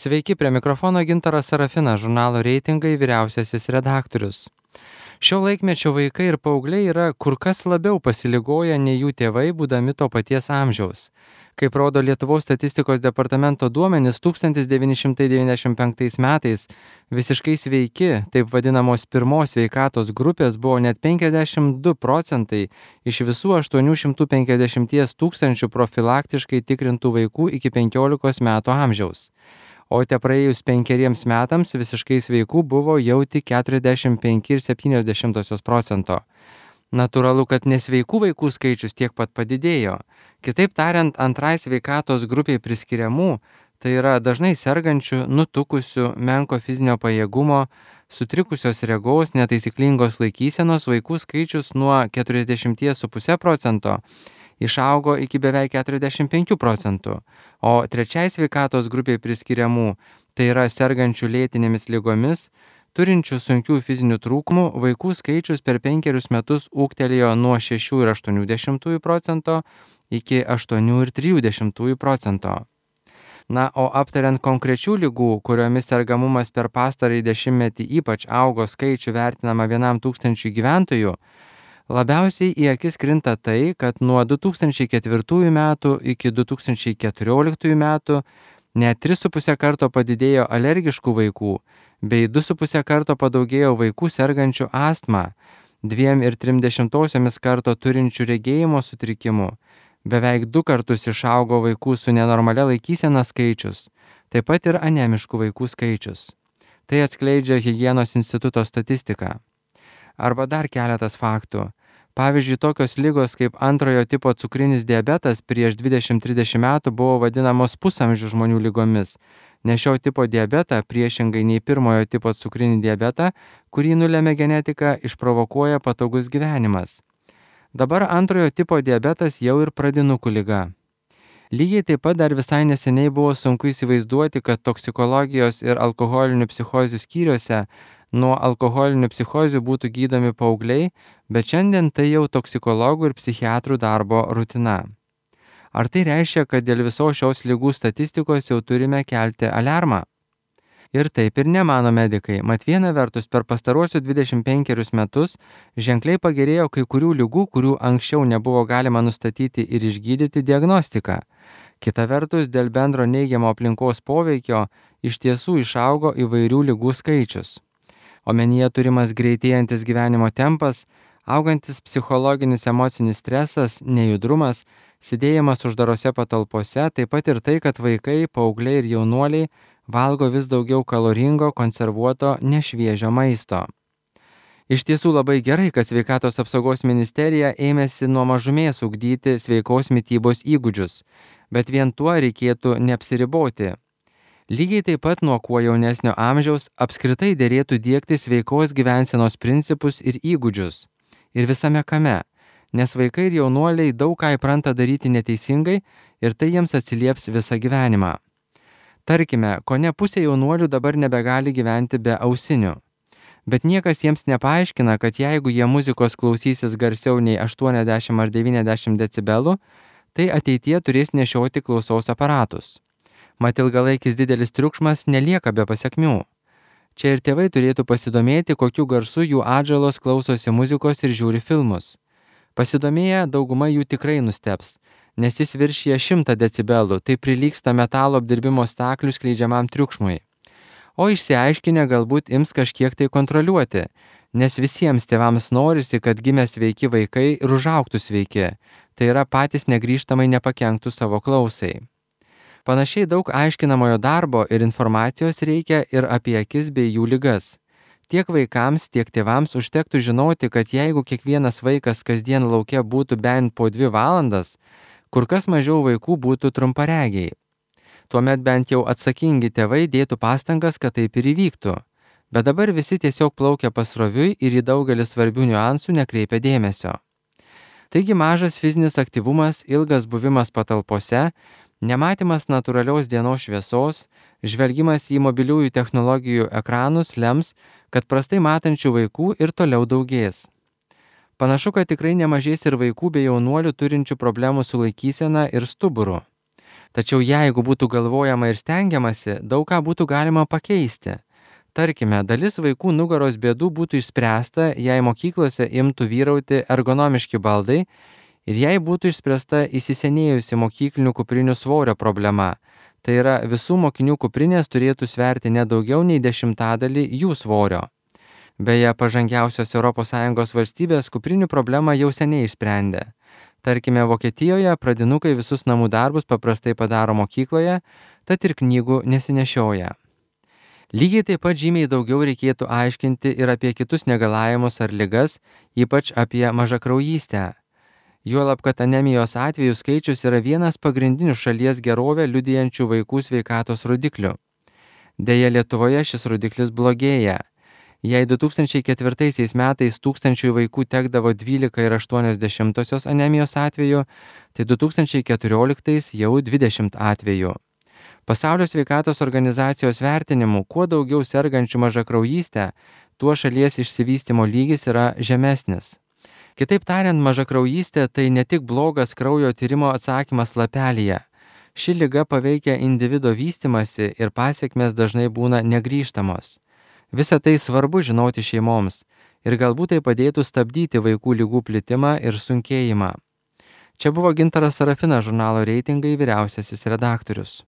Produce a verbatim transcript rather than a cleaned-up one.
Sveiki, prie mikrofono Gintaras Sarafinas, žurnalo Reitingai vyriausiasis redaktorius. Šio laikmečio vaikai ir paaugliai yra kur kas labiau pasiligoję nei jų tėvai, būdami to paties amžiaus. Kaip rodo Lietuvos statistikos departamento duomenys, tūkstantis devyni šimtai devyniasdešimt penktais metais visiškai sveiki, taip vadinamos pirmos sveikatos grupės buvo net penkiasdešimt du procentai iš visų aštuonių šimtų penkiasdešimt tūkstančių profilaktiškai tikrintų vaikų iki penkiolikos metų amžiaus. O te praėjus penkeriems metams visiškai sveikų buvo jau tik keturiasdešimt penki ir septynios dešimtosios procento. Natūralu, kad nesveikų vaikų skaičius tiek pat padidėjo. Kitaip tariant, antrai sveikatos grupiai priskiriamų, tai yra dažnai sergančių, nutukusių, menko fizinio pajėgumo, sutrikusios regos, netaisyklingos laikysenos vaikų skaičius nuo keturiasdešimt vieno ir pusės procento išaugo iki beveik keturiasdešimt penkių procentų, o trečiai sveikatos grupiai priskiriamų, tai yra sergančių lėtinėmis ligomis, turinčių sunkių fizinių trūkumų, vaikų skaičius per penkerius metus ūgtelėjo nuo šešių ir aštuonių dešimtųjų procento iki aštuonių ir trijų dešimtųjų procento. Na, o aptariant konkrečių ligų, kuriomis sergamumas per pastarąjį dešimtmetį ypač augo skaičių vertinama vienam tūkstančiui gyventojų, labiausiai į akis krinta tai, kad nuo du tūkstančiai ketvirtųjų metų iki du tūkstančiai keturioliktųjų metų net tris su puse karto padidėjo alergiškų vaikų, bei du su puse karto padaugėjo vaikų sergančių astmą, dviem ir trim dešimtosiomis karto turinčių regėjimo sutrikimų, beveik du kartus išaugo vaikų su nenormalia laikysena skaičius, taip pat ir anemiškų vaikų skaičius. Tai atskleidžia Higienos instituto statistika. Arba dar keletas faktų. Pavyzdžiui, tokios ligos kaip antrojo tipo cukrinis diabetas prieš dvidešimt trisdešimt metų buvo vadinamos pusamžių žmonių ligomis, nes šio tipo diabetą, priešingai nei pirmojo tipo cukrinį diabetą, kurį nulemia genetika, išprovokuoja patogus gyvenimas. Dabar antrojo tipo diabetas jau ir pradinukų liga. Lygiai taip pat dar visai neseniai buvo sunku įsivaizduoti, kad toksikologijos ir alkoholinių psichozių skyriuose nuo alkoholinių psichozių būtų gydomi paaugliai, bet šiandien tai jau toksikologų ir psichiatrų darbo rutina. Ar tai reiškia, kad dėl visos šios ligų statistikos jau turime kelti aliarmą? Ir taip ir nemano medikai, mat viena vertus per pastaruosius dvidešimt penkerius metus ženkliai pagerėjo kai kurių ligų, kurių anksčiau nebuvo galima nustatyti ir išgydyti diagnostiką. Kita vertus, dėl bendro neigiamo aplinkos poveikio iš tiesų išaugo įvairių ligų skaičius. Omenyje turimas greitėjantis gyvenimo tempas, augantis psichologinis emocinis stresas, nejudrumas, sėdėjimas uždarose patalpose, taip pat ir tai, kad vaikai, paaugliai ir jaunuoliai valgo vis daugiau kaloringo, konservuoto, nešviežio maisto. Iš tiesų labai gerai, kad Sveikatos apsaugos ministerija ėmėsi nuo mažumės ugdyti sveikos mitybos įgūdžius, bet vien tuo reikėtų neapsiriboti. Lygiai taip pat nuo kuo jaunesnio amžiaus apskritai derėtų diegti sveikos gyvensenos principus ir įgūdžius. Ir visame kame, nes vaikai ir jaunuoliai daug ką įpranta daryti neteisingai ir tai jiems atsilieps visą gyvenimą. Tarkime, kone pusė jaunuolių dabar nebegali gyventi be ausinių. Bet niekas jiems nepaaiškina, kad jeigu jie muzikos klausysis garsiau nei aštuoniasdešimt ar devyniasdešimt decibelų, tai ateityje turės nešioti klausos aparatus. Mat ilgalaikis didelis triukšmas nelieka be pasekmių. Čia ir tėvai turėtų pasidomėti, kokiu garsu jų atžalos klausosi muzikos ir žiūri filmus. Pasidomėję, dauguma jų tikrai nustebs, nes jis viršija šimtą decibelų, tai prilygsta metalo apdirbimo staklių skleidžiamam triukšmui. O išsiaiškinę galbūt ims kažkiek tai kontroliuoti, nes visiems tėvams norisi, kad gimę sveiki vaikai ir užaugtų sveiki, tai yra patys negrįžtamai nepakenktų savo klausai. Panašiai daug aiškinamojo darbo ir informacijos reikia ir apie akis bei jų ligas. Tiek vaikams, tiek tėvams užtektų žinoti, kad jeigu kiekvienas vaikas kasdien lauke būtų bent po dvi valandas, kur kas mažiau vaikų būtų trumparegiai. Tuomet bent jau atsakingi tėvai dėtų pastangas, kad taip ir įvyktų. Bet dabar visi tiesiog plaukia pasroviui ir į daugelį svarbių niuansų nekreipia dėmesio. Taigi mažas fizinis aktyvumas, ilgas buvimas patalpose, nematymas natūralios dienos šviesos, žvelgimas į mobiliųjų technologijų ekranus lems, kad prastai matančių vaikų ir toliau daugės. Panašu, kad tikrai nemažės ir vaikų bei jaunuolių turinčių problemų su laikysena ir stuburu. Tačiau jeigu būtų galvojama ir stengiamasi, daug ką būtų galima pakeisti. Tarkime, dalis vaikų nugaros bėdų būtų išspręsta, jei mokyklose imtų vyrauti ergonomiški baldai ir jei būtų išspręsta įsisenėjusi mokyklinių kuprinių svorio problema. Tai yra, visų mokinių kuprinės turėtų sverti ne daugiau nei dešimtadalį jų svorio. Beje, pažangiausios Europos Sąjungos valstybės kuprinių problemą jau seniai išsprendė. Tarkime, Vokietijoje pradinukai visus namų darbus paprastai padaro mokykloje, tad ir knygų nesinešioja. Lygiai taip pat žymiai daugiau reikėtų aiškinti ir apie kitus negalavimus ar ligas, ypač apie mažakraujystę. Juolab, kad anemijos atvejų skaičius yra vienas pagrindinių šalies gerovę liudijančių vaikų sveikatos rodiklių. Deja, Lietuvoje šis rodiklis blogėja. Jei du tūkstančiai ketvirtaisiais metais tūkstančiui vaikų tekdavo dvylika ir aštuonios dešimtosios anemijos atvejų, tai du tūkstančiai keturioliktais jau dvidešimt atvejų. Pasaulio sveikatos organizacijos vertinimu, kuo daugiau sergančių mažakraujystę, tuo šalies išsivystymo lygis yra žemesnis. Kitaip tariant, mažakraujystė tai ne tik blogas kraujo tyrimo atsakymas lapelyje. Ši liga paveikia individo vystymasi ir pasekmės dažnai būna negrįžtamos. Visa tai svarbu žinoti šeimoms ir galbūt tai padėtų stabdyti vaikų ligų plitimą ir sunkėjimą. Čia buvo Gintaras Sarafinas, žurnalo Reitingai vyriausiasis redaktorius.